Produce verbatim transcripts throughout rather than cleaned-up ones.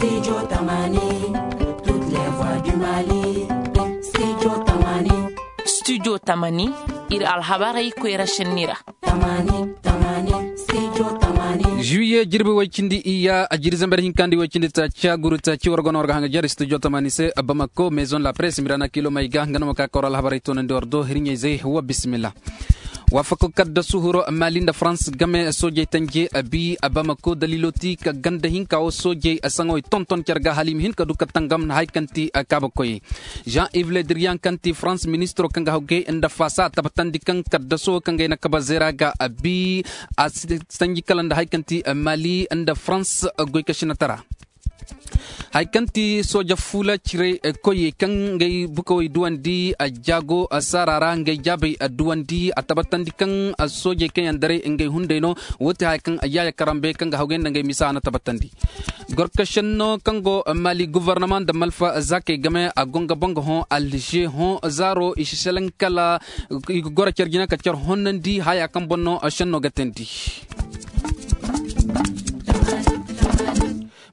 Studio Tamani, toutes les voix du Mali. Studio Tamani. Studio Tamani, iri alhabarey koyra senni ra. Juillet jirbi way cindi iyya a jiri zambar hinka nda way cindi taaci a guru taaci war go no war ga hanga jare studio Tamani se, Bamako, maison la presse mirana kilo may ga nga no ma ka kawra alhabarey toonandi war do hirɲey zey wa bisimilla. Waafako kaddasu huro maali nda farans game soojey tanje a bi a bamako daliilo ti ka ganda hinka wo soojey a saŋo i tonton care ga hala i ma hin ka du ka tangam na hari kaŋ ti a kaaba koyey. Jean yves le diriyan kaŋ ti farans ministiro kaŋ ga hawgay nda faasa a tabbatandi kaŋ kaddaso kaŋ ga ay na kaba zeera ga a bi a sanji kala nda hari kaŋ ti maali nda farans goy ka sinatara. Hari kaŋ ti sooja fuula cire koyey kaŋ ngey bukawey duwandi a jaago saara ra ngey jaabey a duwandi a tabbatandi kaŋ soojey kaŋ yaŋ daray ngey hunday no. Wo ti haya kaŋ yaaya karambe kaŋ ga hawgay nda ngey misa a na tabbatandi. Gorkasenno kaŋ go maali guvarnama nda malfa zaakey game a go nga boŋ ga hõ alže hõ zaaro i si selaŋ kala i ga goro care jina ka care honnandi haya kaŋ boŋ no senno ga teendi.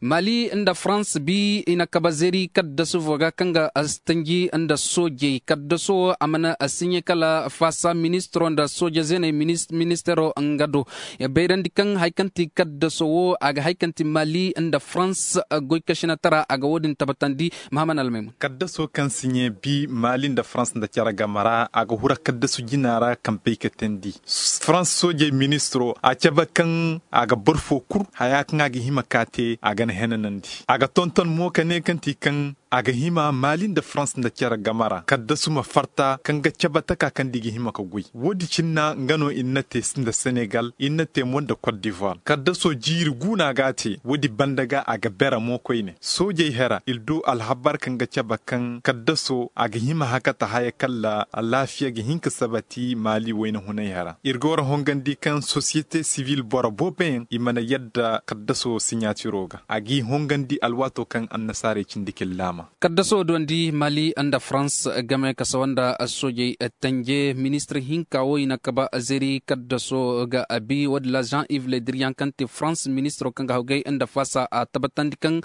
Maali nda farans bi i na kaba zeeri kaddasu fo ga kaŋ ga tanji nda soojey kaddaso wo a mana siɲe kala faasa ministiro nda sooje zeeney ministiro nga do. Bayrandi kaŋ hari kaŋ ti kaddaso wo a ga hari kaŋ ti maali nda farans goy kasinatara a ga wo- din tabbatandi. Mahaman almaymun. Kaddaso kaŋ siɲe bi maali nda farans nda care game ra a ga hura kaddasu jina ra kaŋ bay ka teendi farans soojey ministiro a cabe kaŋ a ga boro fo kulu haya kaŋ a ga hima ka te a ga na henanandi a ga tonton mo ka ne kaŋ ti kaŋ a ga hima maali nda farans nda care game ra kaddasu ma farta kaŋ ga cabe taka kaŋ da i ga hima ka goy wo- din cine nga no i na te nda senegal i na te mo nda kot divoire kaddaso jiiri guuna ga a te wo- din banda ga a ga bere mo koyne soojey hera iri du alhabar kaŋ ga cabe kaŋ kaddaso a ga hima hakata haya kala alaafiya ga hin ka sabati maali wayna hunay hera iri ga war hongandi kaŋ sosiyete sivil boro boobo yaŋ i mana yadda kaddaso siɲaatiro ga a g'i hongandi alwaato kaŋ annasaarey cindi k'iri laama. Kaddaso duwandi maali nda farans game ka sawa nda soojey tanje ministir hinka wo i na kaba zeeri kaddaso ga a bi wo- din ra jean yves le diriyan kaŋ ti farans ministiro kaŋ ga hawgay nda faasa a tabbatandi kaŋ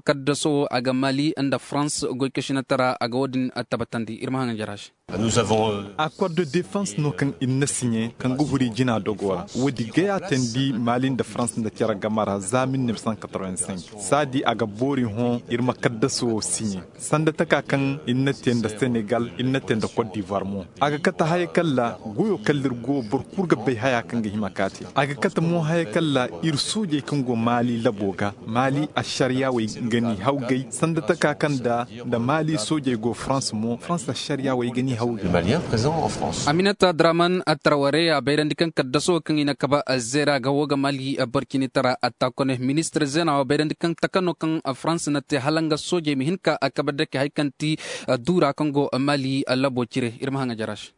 kaddaso wo a ga maali nda farans goy kasinatara a ga wo- din tabbatandi iri ma haŋ jara se. Accord de défense no kaŋ iri na siɲe kaŋ ga huri jina dogo ra wo- din gaya teendi maali nda farans nda care game ra za mille neuf cent quatre-vingt-cinq saadi a ga boori hõ iri ma kaddaso wo siɲe sanda taka kaŋ iri na te nda senegal iri na te nda kot divoire mo a ga kate haya kala goyo kala iri go boro kulu ga bay haya kaŋ ga hima ka te a ga kate mo haya kala iri soojey kaŋ go maali labo ga maali asariya wey ga ni hawgay sanda taka kaŋ nda nda maali soojey go farans mo farans asariya wey ga ni hawgay. Aminata draman atraware a bayrandi kaŋ kaddaso kaŋ i na kaba zeera ga wo ga maali borcinitara atta kone ministir zeena wo bayrandi kaŋ taka no kaŋ farans na te hala nga soojey ma hin ka kabe dake hari kaŋ ti duura kaŋ go maali labo cire iri ma haŋ a jara se.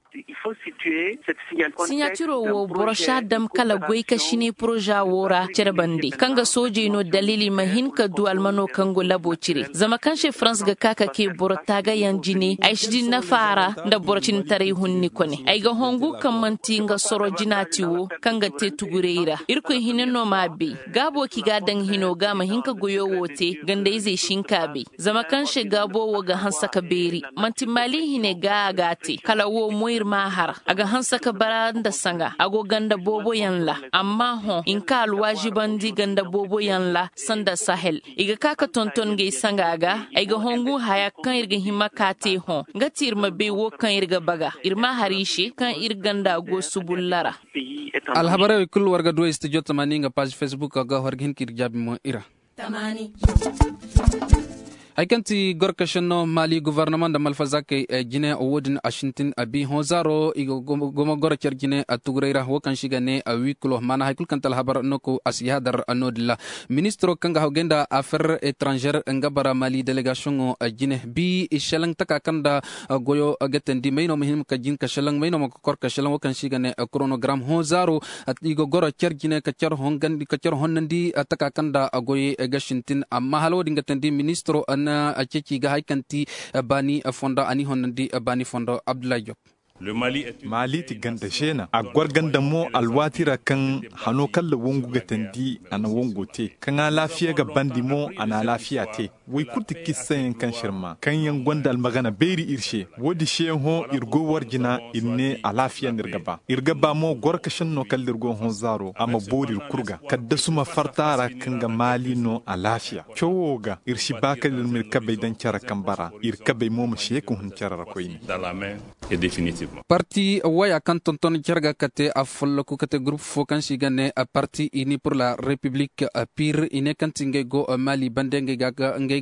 Siɲatiro wo boro si a dam kala goy ka sine poroza wo ra care bande kaŋ ga soojey no daliili ma hin ka du almano kaŋ go labo cire zama kaŋ se farans ga ka ka ke boro taagayaŋ jine ay si di nafa ra nda boro cinitaray hunni kone ay ga hongu kaŋ manti nga soro jina ti wo kaŋ ga te tuguray ra irkoy hina no m'a bay gaabo kaŋ i ga a daŋ hino ga ma hin ka goyo wo te gandayzey si hin k'a bay zama kaŋ se gaabo wo ga hanse ka beeri manti maali hine ga a ga a te kala wo mo iri m'a har a ga hanse ka bara nda sanga a go ganda boobo yaŋ ra amma hõ i na ka alwaazibandi ganda boobo yaŋ ra sanda sahel i ga ka ka tonton ngey sanga ga ay ga hongu haya kaŋ iri ga hima ka te hõ nga ti iri ma bay wo kaŋ iri ga baga iri m'a har i se kaŋ iri ganda go subulla ra. Alhabarey kulu war ga du ay studio tamani nga paazi facebook ga war ga hin ka iri jaabi mo i ra. Hari kaŋ ti gorkasinno maali guvarnama nda malfazakey jine wo- din a sintin a bi hõ zaaro i ga gomo goro care jine a tuguray ra wo kaŋ se i ga ne a wikulo maana hari kulu kaŋ ti alhabar no ko a si yaadar no- din ra. Ministiro kaŋ ga hawgay nda afer etranzer nga bara maali delegasiyoŋo jine bi i selaŋ taka kaŋ nda goyo ga teendi may no ma hin ka jin ka selaŋ may no ma ga kor ka selaŋ wo kaŋ se i ga ne koronogaram hõ zaaro i ga goro care jine ka care honnandi taka kaŋ nda goyey ga sintin amma hala wo- din ga teendi ministiro na ceeci ga hari kaŋ ti baani fondo a n'i honnandi baani fondo abdullahi job. Maali ti ganda zeena a gor ganda mo alwaati ra kaŋ hano kaŋ ra wangu ga tandi a na wango te kaŋ alaafiya ga bandi mo a na alaafiya te. Way kulu ti kissa yaŋ kaŋ sirma kaŋ yaŋ gonda almagana beeri iri se. Wo- din se yaŋ hõ iri go war jina iri ne alaafiya no iri ga ba iri ga ba mo goro ka senno kala da iri go hõ zaaro a ma boori iri kulu ga kaddasu ma farta a ra kaŋ ga maali no alaafiya. Cawo ga iri si ba kala iri ma iri kabey daŋ care kambe ra. Iri kabey mo ma si ye ka hun care ra koyne. Parti waya kaŋ tonton care ga kate a folloku kate gurupu fo kaŋ se i ga ne parti ini pur la repiblik, pir i ne kaŋ ti ngey go maali bande ngey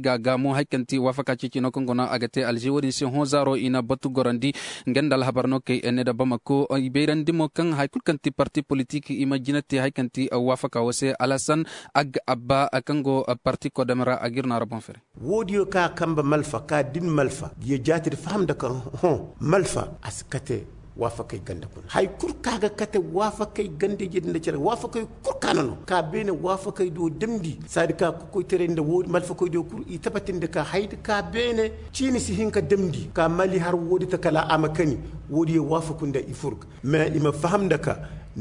ga gaamu hari kaŋ ti waafaka ceeci no kaŋ go no a ga te alze wo- din se hõ zaaro i na batu gorandi. Nga nda alhabar no kay ne da bamako i bayrandi mo kaŋ hari kulu kaŋ ti parti politik i ma jina te hari kaŋ ti waafaka wo se alasan ag abba kaŋ go parti kodom ra a ga iri no a ra boŋ fere. Wo- diyo ka kambe malfa ka din malfa ya jaati da faham nda kaŋ hõ malfa a si kate. Waafakey ganda kuna hari kulu ka ga kate waafakey ganda ije din da care waafakey kulu ka no no ka beene waafakey do damndi saadi ka kokoytaray nda wo- malfakey do kulu i tabbatandi ka hari da ka beene. Ciini si hin ka damndi ka mali har wo- din ta kala a ma kani. Wo- diyo waafaku nda i fur ga mais i ma faham nda ka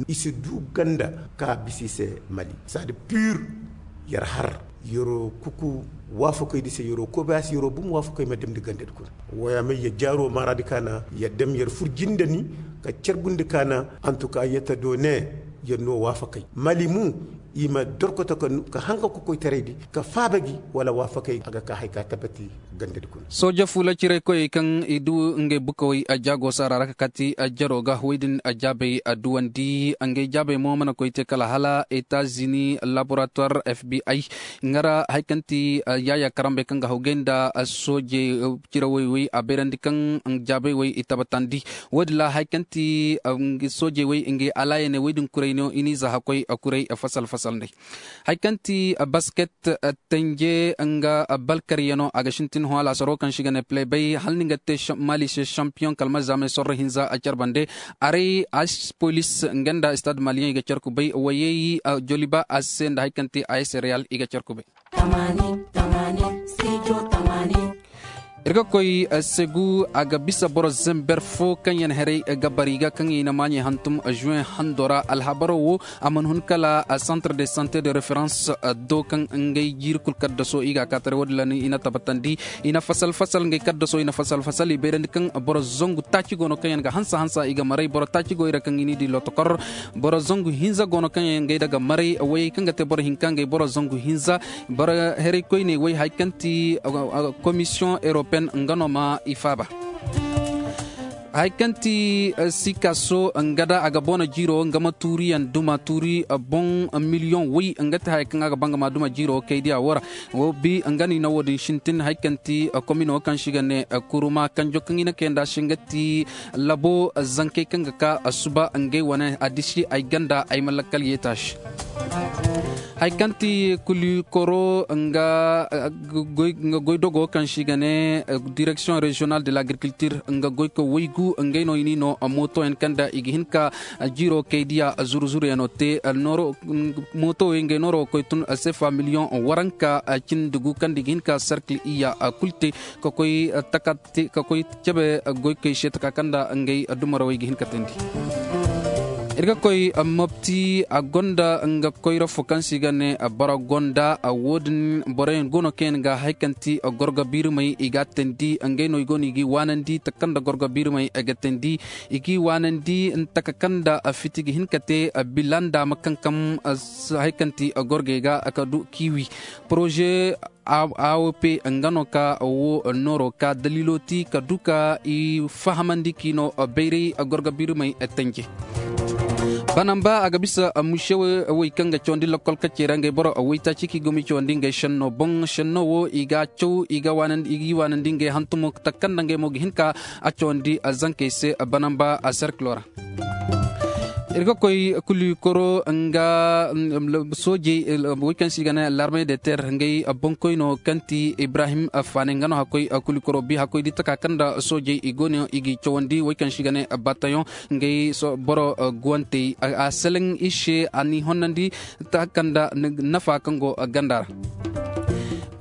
i si du ganda ka bisa i se mali saadi pur. Yar har yaro kuku waafakey di se yaro koy ba ya se yaro bum waafakey ma damndi ganda di kuna. Wo- ya may ya jaaro maara di ka na ya dam yar fur jinde ni ka carbundi ka na. Antuka yata do ne yar no waafakey mali mu i ma dorkoto ka haŋ ka kokoytaray di ka faaba gi wala waafakey a ga ka hari ka tabbati. Sooje fuula ciraykoyey kaŋ i du ngey bukawey a jaago saara ra ka kati jaro ga wo- din jaabey a duwandi ngey jaabey mo mana koy te kala hala etazini laboratuwar fbi nga ra hari kaŋ ti yaaya karambey kaŋ ga haw gay nda sooje cirawey wey a bayrandi kaŋ jaabey wey i tabbatandi. Wo- din ra hari kaŋ ti soojey wey ngey alaayaney wey din kuray no i n'i za hakkoy kuray fasal fasal nd'ey. Hari kaŋ ti basket tanje nga balkaryano a ga sintin hõ alaasaro kaŋ se i ga ne play bay hala ni ga te maali se sampiyoŋ kala ma zaamay sorro hinza a care bande. Aray as polis nga nda stade maliyeŋ i ga care kubay wayey joliba a se nda hari kaŋ ti a s real i ga care kubay. Iri ga koy segu a ga bisa boro zember fo kaŋ yaŋ haray ga bari ga kaŋ i na maaɲey hantum juwen hando ra alhabaro wo. A mana hun kala centre de sante de reference do kaŋ ngey jiiri kulu kaddaso i ga a kaataray wo- din ra no i na tabbatandi. I na fasal fasal ngey kaddaso i na fasal fasal i bayrandi kaŋ boro zangu taaci go no kaŋ yaŋ ga hansa hansa i ga maray boro taaci go i ra kaŋ i n'i di lotokor. Boro zangu hinza go no kaŋ yaŋ ngey da ga maray wayey kaŋ ga te boro hinka ngey boro zangu hinza. Boro heray koyne way hari kaŋ ti komisiyoŋ europeen nga no ma i faaba. Hari kaŋ ti sikaso nga da a ga boona jiiro nga ma tuuriyaŋ duma tuuri boŋ miliyoŋ way nga ti haya kaŋ a ga ba nga ma duma jiiro kay diya wo ra. Wo bi nga no i na wo- din sintin hari kaŋ ti komino kaŋ se i ga ne kuruma kanjo kaŋ i na kay nd'a se nga ti labo zankey kaŋ ga ka suba ngey wane a disi ay ganda ay ma lakkal yeeta se. Hari kaŋ ti kulikoro nga goydogo kaŋ se i ga ne direksiyoŋ reziyonal de l'agriculture nga goyko waygu ngey no i n'i no mootoyaŋ kaŋ nda i ga hin ka jiiro kay diya zuru zuru yaŋo te. Mooto wey ngey nooro ga koy tun sefa miliyoŋ waranka cindi gu kaŋ nda i ga hin ka serkil iyya kulu te ka koy taka te ka koy cabe goykey se taka kaŋ nda ngey dumarawey ga hin ka teendi. Iri ga koy mopti a gonda nga koyra fo kaŋ se i ga ne boro gonda wo- din boroyaŋ go no kaŋ yaŋ ga hari kaŋ ti gorgo biirimey i ga a teendi ngey no i go no i g'i waanandi taka kaŋ nda gorgo biirimey ga teendi. I g'i waanandi taka kaŋ nda fiti ga hin ka te bilanda ma kankam hari kaŋ ti gorgey ga ka du kiiwi poroze. A o p nga no ka wo nooro ka daliilo ti ka du ka i fahamandi k'i no bayray gorgo biirimey tanje. Banamba a ga bisa muse wey kaŋ ga cawandi lakkol kacey ra ngey boro waytaaci kaŋ i go ma i cawandi ngey senno boŋ senno wo i ga a caw i g'i waanandi ngey hantumo taka kaŋ nda ngey mo ga hin ka a cawandi zankey se banamba serkilo ra. Iri ga koy kulikoro nga soojey wey kaŋ se i ga ne larme de terre ngey boŋkoyno kaŋ ti ibrahim faane nga no hakkoy kulikoro bi hakkoy di taka kaŋ nda soojey i go no i g'i cawandi wey kaŋ se i ga ne batayoŋ ngey boro guwantey a seleŋ i se a n'i honnandi taka kaŋ nda nafa kaŋ go ganda ra.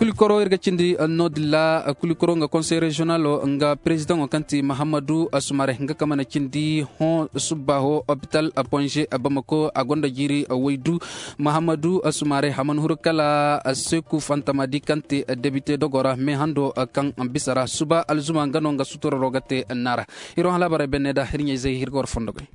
Kulikoro iri ga cindi no din ra. Kulikoro nga konsey reziyonalo nga perezidaŋo kaŋ ti mahammadu sumare nga kaŋ mana cindi hõ subbaaho opital ponze bamako a gonda jiiri waydu. Mahammadu sumare a mana huru kala seku fantama di kaŋ ti debite dogo ra me hando kaŋ bisa ra suba alzuma nga no nga suturaro ga te naara. Iri wo hã laabarey benne da iri ɲayzey iri ga war fondo goy.